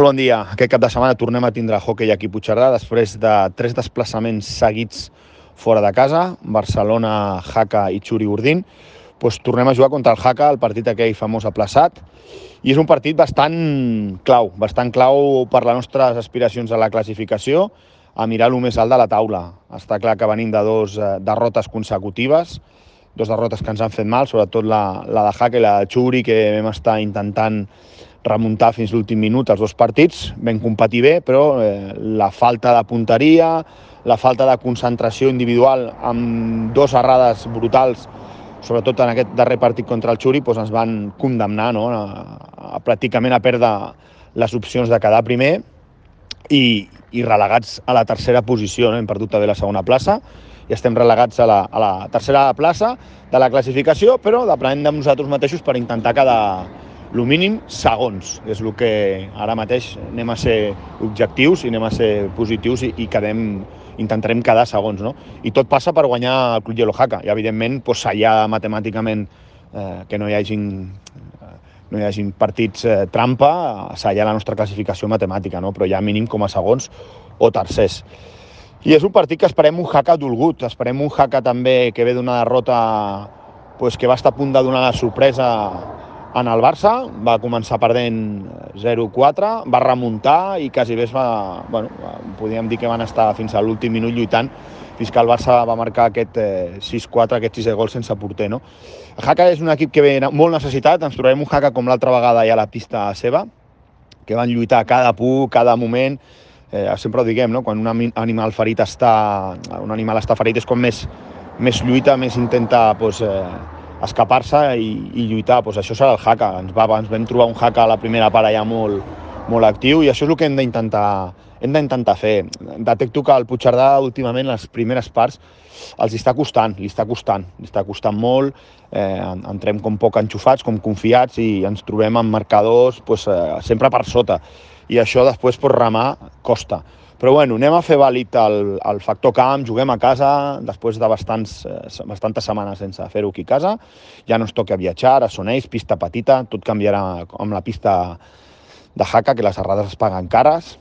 Bon dia. Aquest cap de setmana tornem a tindre hoquei aquí a Puigcerdà després de 3 desplaçaments seguits fora de casa, Barcelona, Jaca i Xuri-Urdin. Tornem a jugar contra el Jaca, el partit aquell famós aplaçat, i és un partit bastant clau per les nostres aspiracions a la classificació, a mirar el més alt de la taula. Està clar que venim de 2 derrotes consecutives, 2 derrotes que ens han fet mal, sobretot la de Jaca i la de Xuri, que vam estar intentant remuntar fins l'últim minut els 2 partits, vam competir bé, però la falta de punteria, la falta de concentració individual amb 2 errades brutals, sobretot en aquest darrer partit contra el Xuri, ens van condemnar pràcticament a perdre les opcions de quedar primer i relegats a la tercera posició. Hem perdut també la segona plaça i estem relegats a la tercera plaça de la classificació, però depenent de nosaltres mateixos per intentar quedar el mínim segons. És el que ara mateix anem a ser objectius i anem a ser positius i intentarem quedar segons, no? I tot passa per guanyar el Club Yellow Jaca. I, evidentment, sellar matemàticament que no hi hagin partits trampa, sellar la nostra classificació matemàtica, no? Però ja mínim com a segons o tercers. I és un partit que esperem un Jaca dolgut. Esperem un Jaca també que ve d'una derrota que va estar a punt de donar la sorpresa en el Barça. Va començar perdent 0-4, va remuntar i quasi bé podríem dir que van estar fins a l'últim minut lluitant fins que el Barça va marcar aquest 6-4, aquest 6 gols sense porter, no? El Jaca és un equip que ve molt necessitat. Ens trobarem un Jaca com l'altra vegada ja a la pista seva, que van lluitar cada punt, cada moment. Sempre ho diguem, no? Quan un animal està ferit és quan més lluita, més intenta escapar-se i lluitar. Això serà el Jaca. Ens vam trobar un Jaca a la primera part ja molt actiu i això és el que hem d'intentar fer. Detecto que al Puigcerdà últimament les primeres parts li està costant molt. Entrem com poc enxufats, com confiats i ens trobem amb marcadors sempre per sota. I això després remar costa. Però anem a fer vàlid el factor camp, juguem a casa, després de bastantes setmanes sense fer-ho aquí a casa. Ja no ens toca viatjar, a Soneix, pista petita, tot canviarà amb la pista de Jaca, que les errades es paguen cares.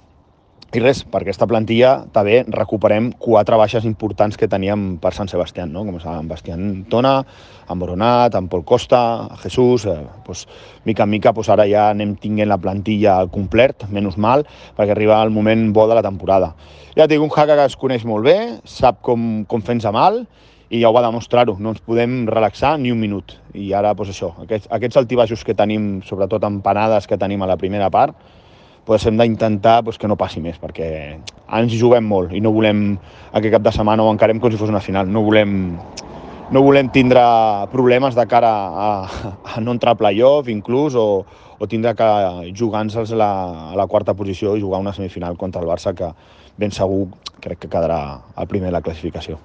I res, per aquesta plantilla també recuperem 4 baixes importants que teníem per Sant Sebastià, no? Com en Bastián Tona, en Boronat, en Pol Costa, Jesús. Mica en mica ara ja anem tinguent la plantilla al complet, menys mal, perquè arriba el moment bo de la temporada. Ja et dic, un Jaca que es coneix molt bé, sap com fer-nos mal i ja ho va demostrar-ho. No ens podem relaxar ni un minut. I ara, aquests altibaixos que tenim, sobretot en panades que tenim a la primera part, hem d'intentar que no passi més, perquè ens hi juguem molt i no volem aquest cap de setmana ho encarem com si fos una final. No volem tindre problemes de cara a no entrar a playoff inclús o tindre que jugar-nos a la quarta posició i jugar una semifinal contra el Barça, que ben segur crec que quedarà el primer de la classificació.